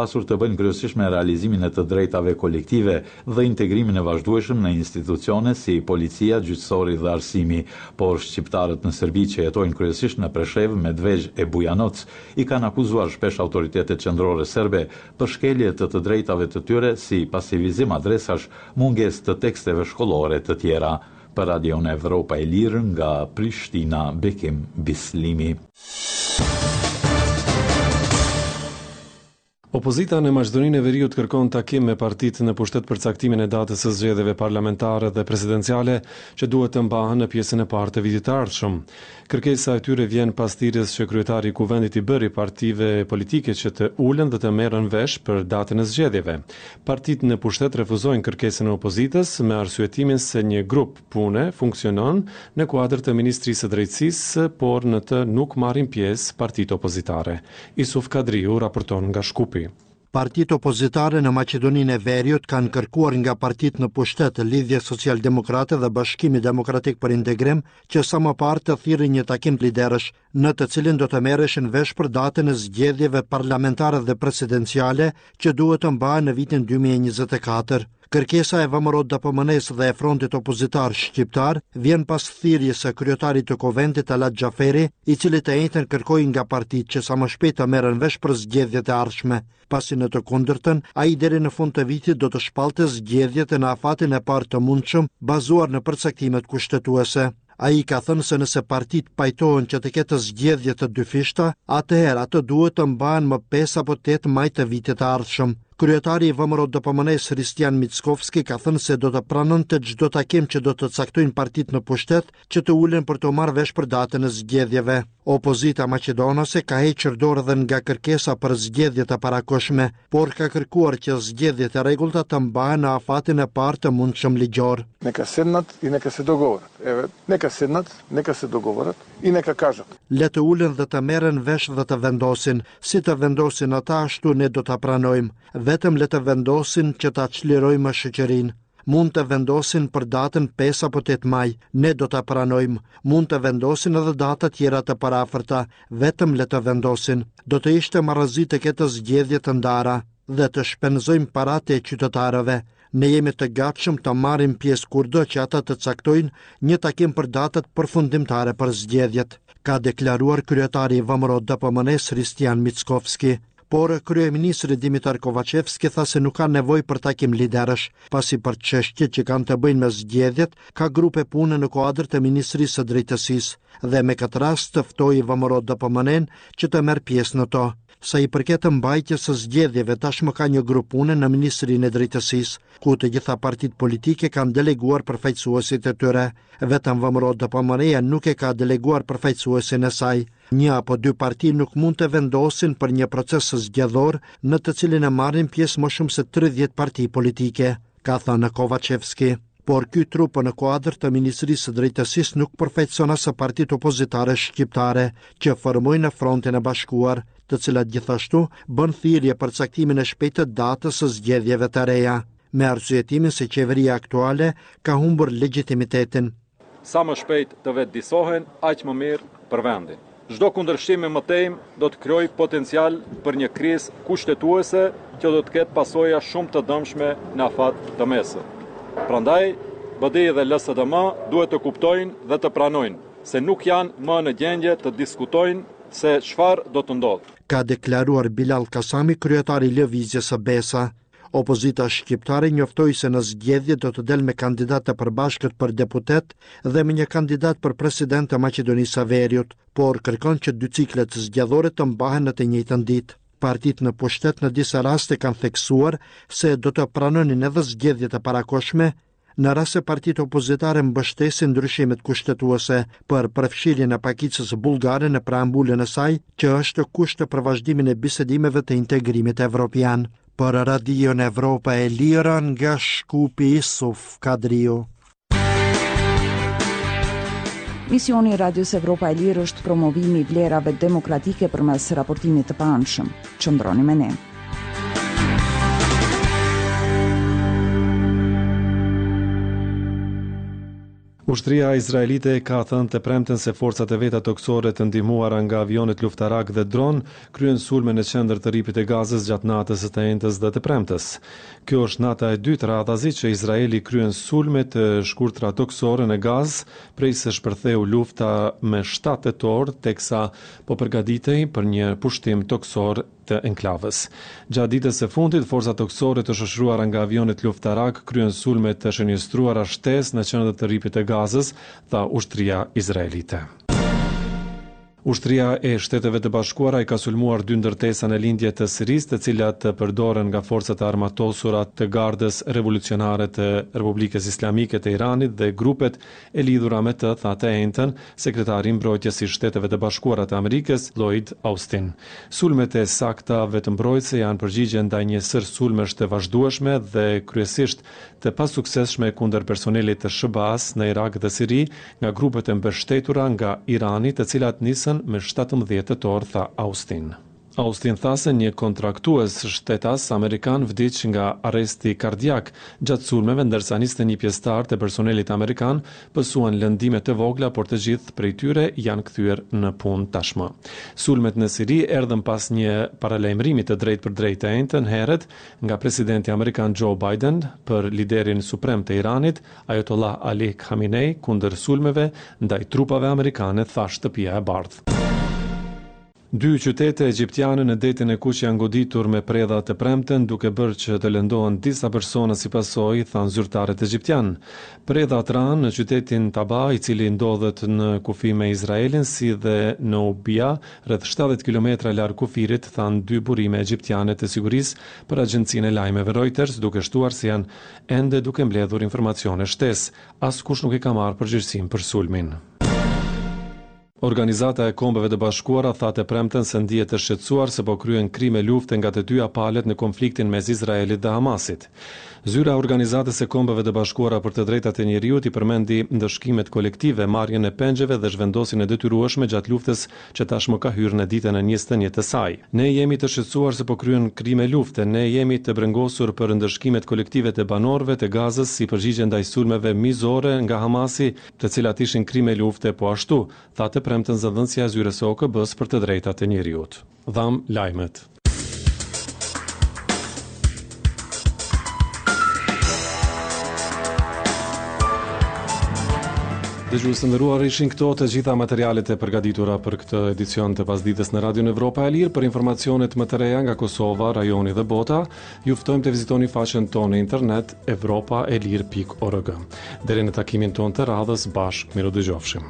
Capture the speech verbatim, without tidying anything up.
Pasur të bëjnë kryesisht me realizimin e të drejtave kolektive dhe integrimin e vazhdueshëm në institucione si policia, gjyqësori dhe arsimi. Por shqiptarët në Serbi që jetojnë kryesisht në Preshevë, Medvegjë e Bujanoc i kanë akuzuar shpesh autoritetet qendrore serbe për shkelje të të drejtave të tyre si pasivizim adresash, mungesë të teksteve shkollore të tjera. Për Radion Evropa e Lirë nga Prishtina, Bekim Bislimi. Opozita në Maqedoninë e Veriut kërkon takim me partitë në pushtet për caktimin e datës së zgjedhjeve parlamentare dhe presidenciale që duhet të mbahen në pjesën e parë të vitit të ardhshëm. Kërkesa e tyre vjen pas thirrjes që kryetari i Kuvendit i bëri partive politike që të ulen dhe të merren vesh për datën e zgjedhjeve. Partitë në pushtet refuzojnë kërkesën e opozitës me arsyetimin se një grup pune funksionon në kuadër të Ministrisë së Drejtësisë, por në të nuk marrin pjesë partitë opozitare. Isuf Kadriu raporton nga Shkupi. Partitë opozitare në Maqedoninë e Veriut kanë kërkuar nga partitë në pushtet, Lidhja Social-Demokrate dhe Bashkimi Demokratik për Integrim, që sa më parë të thirrin një takim liderësh, në të cilin do të merreshin vesh për datën e zgjedhjeve parlamentare dhe presidenciale që duhet të mbahen në vitin dy mijë e njëzet e katër. Kërkesa e V M R O D P M N-së dhe e frontit opozitar shqiptar vjen pas thirrjes së kryetarit të Kuvendit Talat Xhaferi, i cili të enjten kërkoi nga partitë që sa më shpejt të merren vesh për zgjedhjet e ardhshme, pasi në të kundërtën, ai deri në fund të vitit do të shpallte zgjedhjet në afatin e parë të mundshëm, bazuar në përcaktimet kushtetuese. Ai ka thënë se nëse partitë pajtohen që të ketë zgjedhje të dyfishta, atëherë ato duhet të mbahen më pesë apo tetë maj të vitit të ardhshëm. Kryetari i V M R O D P M N-së Hristijan Mickovski ka thënë se do të pranonte çdo takim që do të caktojnë partitë në pushtet që të ulen për të marrë vesh për datën e zgjedhjeve. Opozita maqedonase ka hequr dorë edhe nga kërkesa për zgjedhje të parakohshme, por ka kërkuar që zgjedhjet e rregullta të mbahen në afatin e parë të mundshëm ligjor. Neka sednat i neka se dogovorat. Eve, neka sednat, neka se dogovorat i neka kažat. Le të ulen dhe të merren vesh dhe të vendosin. Si të vendosin ata, ashtu ne do ta pranojmë. Vetëm le të vendosin që ta çlirojmë shoqërinë. Mund të vendosin për datën pesë apo tetë maj, ne do ta pranojmë. Mund të vendosin edhe data tjera të parafërta, vetëm le të vendosin. Do të ishte marrëzi të ketë zgjedhje të ndara dhe të shpenzojmë paratë e qytetarëve. Ne jemi të gatshëm të marrim pjesë kurdo që ata të caktojnë një takim për datat përfundimtare për zgjedhjet, ka deklaruar kryetari i V M R O D P M N-së Hristijan Mickovski. Por kryeministri Dimitar Kovačevski tha se nuk ka nevojë për takim liderësh, pasi për çështjet që kanë të bëjnë me zgjedhjet ka grupe pune në kuadër të Ministrisë së Drejtësisë dhe me këtë rast të ftoi V M R O D P M N-n që të merr pjesë në to. Sa i përket mbajtjes së zgjedhjeve, tashmë ka një grup pune në Ministrinë e Drejtësisë, ku të gjitha partitë politike kanë deleguar përfaqësuesit e tyre. Vetëm V M R O D P M N-ja nuk e ka deleguar përfaqësuesin e saj. Një apo dy parti nuk mund të vendosin për një proces zgjedhor në të cilin e marrin pjesë më shumë se tridhjetë parti politike, ka thënë Kovačevski. Por ky trup në kuadër të Ministrisë së Drejtësisë nuk përfaqëson as partitë opozitare shqiptare që formojnë në frontin e bashkuar, të cilat gjithashtu bën thirrje për caktimin e shpejtë të datës së zgjedhjeve të reja, me arsyetimin se qeveria aktuale ka humbur legjitimitetin. Sa më shpejt të vetëdisohen, aq më mirë për vendin. Çdo kundërshtim i mëtejmë do të krijojë potencial për një krizë kushtetuese që do të ketë pasoja shumë të dëmshme në afat të mesëm. Prandaj, B D I dhe L S D M duhet të kuptojnë dhe të pranojnë se nuk janë më në gjendje të diskutojnë se çfarë do të ndodhë. Ka deklaruar Bilal Kasami, kryetari i Lëvizjes së Besa. Opozita shqiptare njoftoi se në zgjedhje do të del me kandidat të përbashkët për deputet dhe me një kandidat për president të Maqedonisë së Veriut, por kërkon që dy ciklet zgjedhore të mbahen në të njëjtën ditë. Partitë në pushtet në disa raste kanë theksuar se do të pranonin edhe zgjedhjet e parakohshme në rast se partitë opozitare mbështesin ndryshimet kushtetuese për përfshirjen e pakicës bullgare në preambulën e saj, që është kusht për vazhdimin e bisedimeve të integrimit evropian. Për Radion Evropa e Lira nga Shkupi, Isuf Kadriu. Misioni i Radios Evropa e Lirë është promovimi i vlerave demokratike përmes raportimit të paanshëm. Qëndroni me ne. Ushtria izraelite ka thënë të premten se forcat e veta tokësore të ndihmuara nga avionët luftarak dhe dron kryen sulme në qendër të rripit të Gazës gjatë natës së të enjtes dhe të premtes. Kjo është nata e dytë radhazi që Izraeli kryen sulme të shkurtra tokësore në Gazë prej se shpërtheu lufta me shtatë tetor, teksa po përgatitej për një pushtim tokësor të enklavës. Gjatë ditës së fundit, forcat tokësore të shoqëruara nga avionët luftarak kryen sulme të shënjestruara shtesë në qendër të rripit të Gazës, tha ushtria izraelite. Ushtria e Shteteve të Bashkuara i ka sulmuar dy ndërtesa në lindje të Sirisë, të cilat përdoren nga forcat e armatosura të Gardës Revolucionare të Republikës Islamike të Iranit dhe grupet e lidhura me të, tha të enjten sekretari i mbrojtjes i Shteteve të Bashkuara të Amerikës, Lloyd Austin. Sulmet e sakta vetëmbrojtëse janë përgjigje ndaj një sër sulmesh të vazhdueshme dhe kryesisht të pasuksesshme kundër personelit të S H B A-s në Irak dhe Siri nga grupet e mbështetura nga Irani, të cilat nisën me shtatëmbëdhjetë tetor, tha Austin. Austin tha se një kontraktues shtetas amerikan vdiq nga arresti kardiak gjatë sulmeve, ndërsa njëzet e një pjesëtar të personelit amerikan pësuan lëndime të vogla, por të gjithë prej tyre janë kthyer në punë tashmë. Sulmet në Siri erdhën pas një paralajmërimi të drejtë për drejtë të enjten herët nga presidenti amerikan Joe Biden për liderin suprem të Iranit, Ayatollah Ali Khamenei, kundër sulmeve ndaj trupave amerikane, tha Shtëpia e Bardhë. Dy qytete egjiptiane në detin e Kuq janë goditur me predha të premten, duke bërë që të lëndohen disa persona si pasojë, thanë zyrtarët egjiptian. Predhat ranë në qytetin Taba, i cili ndodhet në kufi me Izraelin, si dhe në Ubia, rreth shtatëdhjetë kilometra larg kufirit, thanë dy burime egjiptiane të sigurisë për agjencinë e lajmeve Reuters, duke shtuar se janë ende duke mbledhur informacione shtesë. Askush nuk e ka marrë përgjegjësinë për sulmin. Organizata e Kombeve të Bashkuara tha të premten se ndihet e shqetësuar se po kryen krime lufte nga të dyja palët në konfliktin mes Izraelit dhe Hamasit. Zyra e Organizatës së Kombeve të Bashkuara për të Drejtat e Njeriut i përmendi ndëshkimet kolektive, marrjen e pengjeve dhe zhvendosjen e detyrueshme gjatë luftës që tashmë ka hyrë në ditën e njëzet e një të saj. Ne jemi të shqetësuar se po kryen krime lufte, ne jemi të brengosur për ndëshkimet kolektive të banorëve të Gazës si përgjigje ndaj sulmeve mizore nga Hamasi, të cilat ishin krime lufte po ashtu, tha të premten zëdhënësja e zyrës së O K B-s për të drejtat e njeriut. Dham lajmet. Dëgjues të nderuar, ishin këto të gjitha materialet e përgatitura për këtë edicion të pasdites në Radion Evropa e Lirë. Për informacionet më të reja nga Kosova, rajoni dhe bota, ju ftojmë të vizitoni faqen tonë në internet evropa e lirë pikë org. Deri në takimin tonë të radhës, bashkë mirudëgjofshim.